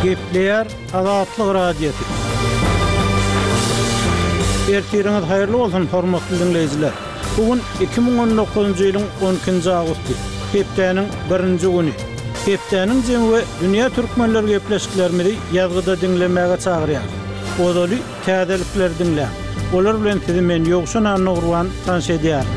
Gepleýär Azatlyk Radiosy. Ertiriňiz haýyrly bolsun, hormatly diňleýjiler! Bu gün 2019-njy ýylyň 12-nji awgusty, hepdäniň birinji güni. Hepdäniň jemi we dünýä türkmenleri gepleşiklerimizi ýazgyda diňlemäge çagyrýarys. Ozaly täzelikleri diňläň. Olar bilen sizi men Ýowşan Annagurban tanyş edýärin.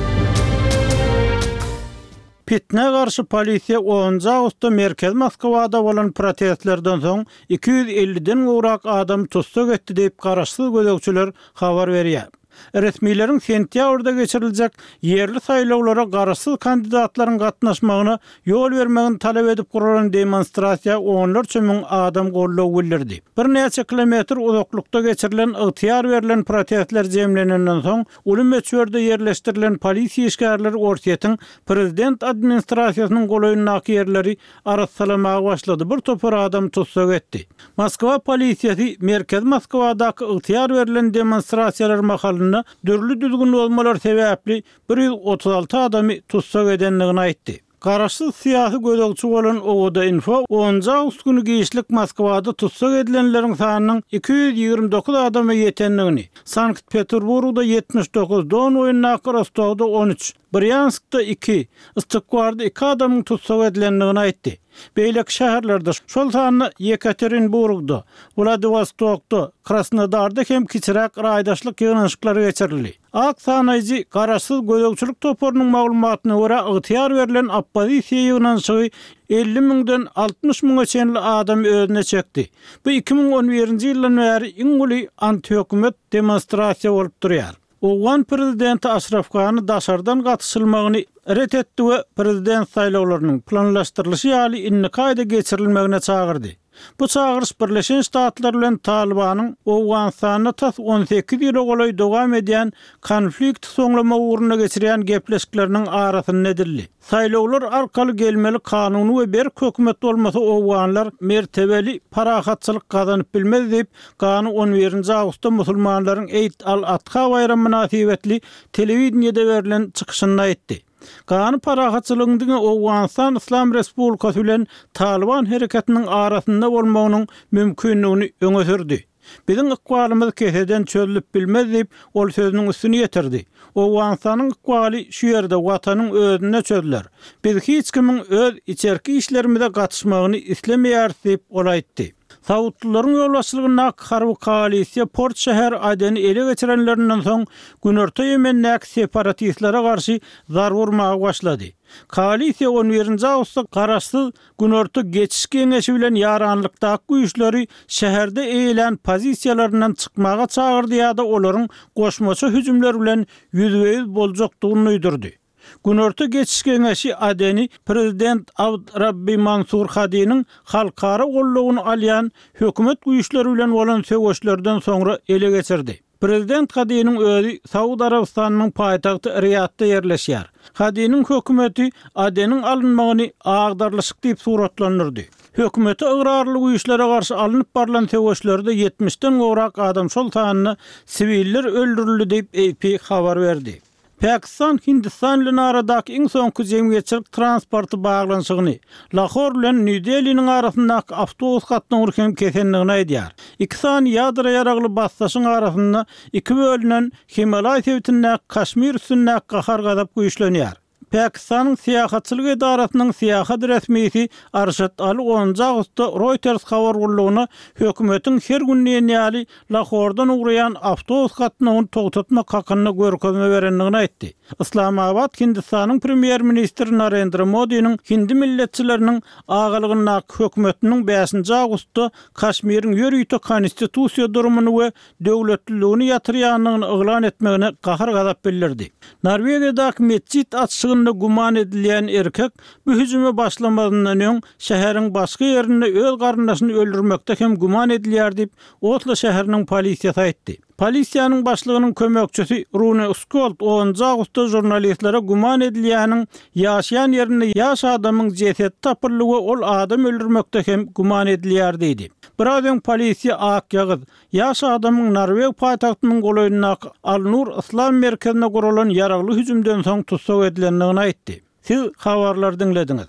Pitnä garşy polisiýa onunjy awgustda merkezi Moskwada bolan protestlerden soň 250-den gowrak adamy tussag etdi diýip, garaşsyz gözegçiler habar berýär. Resmileriň sentýabrda geçiriljek ýerli saýlawlara garaşsyz kandidatlaryň gatnaşmagyna ýol bermegini talap edip guralan demonstrasiýa onlarça müň adam goldaw bildirdi. Birnäçe kilometr uzaklykda geçirilen ygtyýar berlen protestler jemlenenden soň, Uly möçberde ýerleşdirilen polisiýa işgärleri Orsýetiň prezident administrasiýasynyň golaýyndaky ýerleri arassalamaga başlady, bir topar adamy tussag etdi. Moskwa polisiýasy merkezi Moskwadaky ygtyýar berlen demonstrasiýalar mahalynda dürli düzgün bozmalar sebäpli 136 adamy tussag edendigini aýtdy. Garaşsyz syýasy gözegçi bolan Owada-info onunjy awgust güni giçlik Moskwada tussag edilenleriň sanynyň 229 adama ýetendigini, Sankt-Peterburgda 79, Don boýundaky Rostowda 13, Brýanskda iki, Ystykwarda iki adamyň tussag edilendigini aýtdy. Beýleki şäherlerde, şol sanda Ýekaterinburgda, Wladiwostokda, Krasnodarda hem kiçiräk raýdaşlyk ýygnanyşyklary geçirildi. Ak sanaýjy garaşsyz gözegçilik toparynyň maglumatyna görä, ygtyýar berlen oppozisiýa ýygnanyşygy 50 müňden 60 müňe çenli adamy özüne çekdi. Bu 2011-nji ýyldan bäri iň uly antihökümet demonstrasiýa bolup durýar. Owgan prezidenti Aşraf Gani daşardan gatyşylmagyny ret etdi we prezident saýlawlarynyň planlaşdyrylyşy ýaly indiki aýda geçirilmegine çagyrdy. Bu çagyryş Birleşen Ştatlar bilen Talybanyň Owganystanda tas 18 ýyla golaý dowam edýän konflikti soňlamak ugrunda geçirýän gepleşikleriniň arasynda edildi. Saýlawlar arkaly gelmeli kanuny we berk hökümet bolmasa owganlar mertebeli parahatçylyk gazanyp bilmez diýip, Gani on birinji awgustda musulmanlaryň Eid al-Adha baýramy mynasybetli telewideniýede berlen çykyşynda aýtdy. Gany parahatçylygyň diňe Owganystan Yslam Respublikasy bilen Talyban hereketiniň arasynda bolmagynyň mümkindigini öňe sürdi. Biziň ykbalymyz keseden çözlüp bilmez diýip, ol sözüniň üstüni ýetirdi. Owganystanyň ykbaly şu ýerde, Watanyň özünde çözüler. Biz hiç kimiň öz içerki işlerimize gatyşmagyny islemeýäris diýip, ol aýtdy. Saudlylaryň ýolbaşçylygyndaky harby koalisiýa port şäheri Adeni ele geçirenlerinden soň, Günorta Ýemendäki separatistlere garşy zarba urmaga başlady. Koalisiýa on birinji awgustda garaşsyz Günorta Geçiş Geňeşi bilen ýaranlykdaky güýçleri şäherde eýelän pozisiýalaryndan çykmaga çagyrdy ýa-da olaryň goşmaça hüjümler bilen ýüzbe-ýüz boljakdygyny duýdurdy. Günorta Geçiş Geňeşi Adeni prezident Abd Rabbi Mansur Hadiniň halkara goldawyny alýan hökümet güýçleri bilen bolan söweşlerden soňra ele geçirdi. Prezident Hadiniň özi Saud Arabystanynyň paýtagty Riýadda ýerleşýär. Hadiniň hökümeti Adeniň alynmagyny agdarlyşyk diýip suratlandyrdy. Hökümete ygrarly güýçlere garşy alnyp barlan söweşlerde ýetmişden gowrak adam, şol sanda siwiller öldürildi diýip, AP habar berdi. Pakistan Hindistan bilen aradaky iň soňky jemgyýetçilik transporty baglanyşygyny, Lahor bilen Nýu-Deliniň arasyndaky awtobus gatnawyny hem kesendigini aýdýar. Iki sany ýadro ýaragly basdaşyň arasynda iki bölünen Himalaý sebitindäki Kaşmir üstündäki gahar-gazap güýçlenýär. Pakistanyň syýahatçylyk edarasynyň syýahat resmisi Arşad Ali onunjy awgustda Reuters habar gullugyna hökümetiň her gün diýen ýaly Lahordan ugraýan awtobus gatnawyny togtatmak hakynda görkezme berendigini aýtdy. Yslamabat Hindistanyň premýer-ministri Narendra Modiniň hindi milletçileriniň agalygyndaky hökümetiniň bäşinji awgustda Kaşmiriň ýörite konstitusiýa durumyny we döwletliligini ýatyrýandygyny yglan etmegine gahar-gazap bildirdi. Norwegiýadaky metjit açyşygynda güman edilýän erkek bu hüjüme başlamazyndan öň şäheriň başga ýerinde öz garyndaşyny öldürmekde hem güman edilýär diýip, Oslo şäheriniň polisiýasy aýtdy. Polisiýanyň başlygynyň kömekçisi Rune Skold onunjy awgustda žurnalistlere güman edilýäniň ýaşaýan ýerinde ýaş adamyň jesedi tapyldy we ol adam öldürmekde hem güman edilýär diýdi. Biraz öň polisiýa akýagyz, ýaş adamyň norweg paýtagtynyň golaýyndaky Al-Nur yslam merkezine guralan ýaragly hüjümden soň tussag edilendigini aýtdy. Siz habarlary diňlediňiz.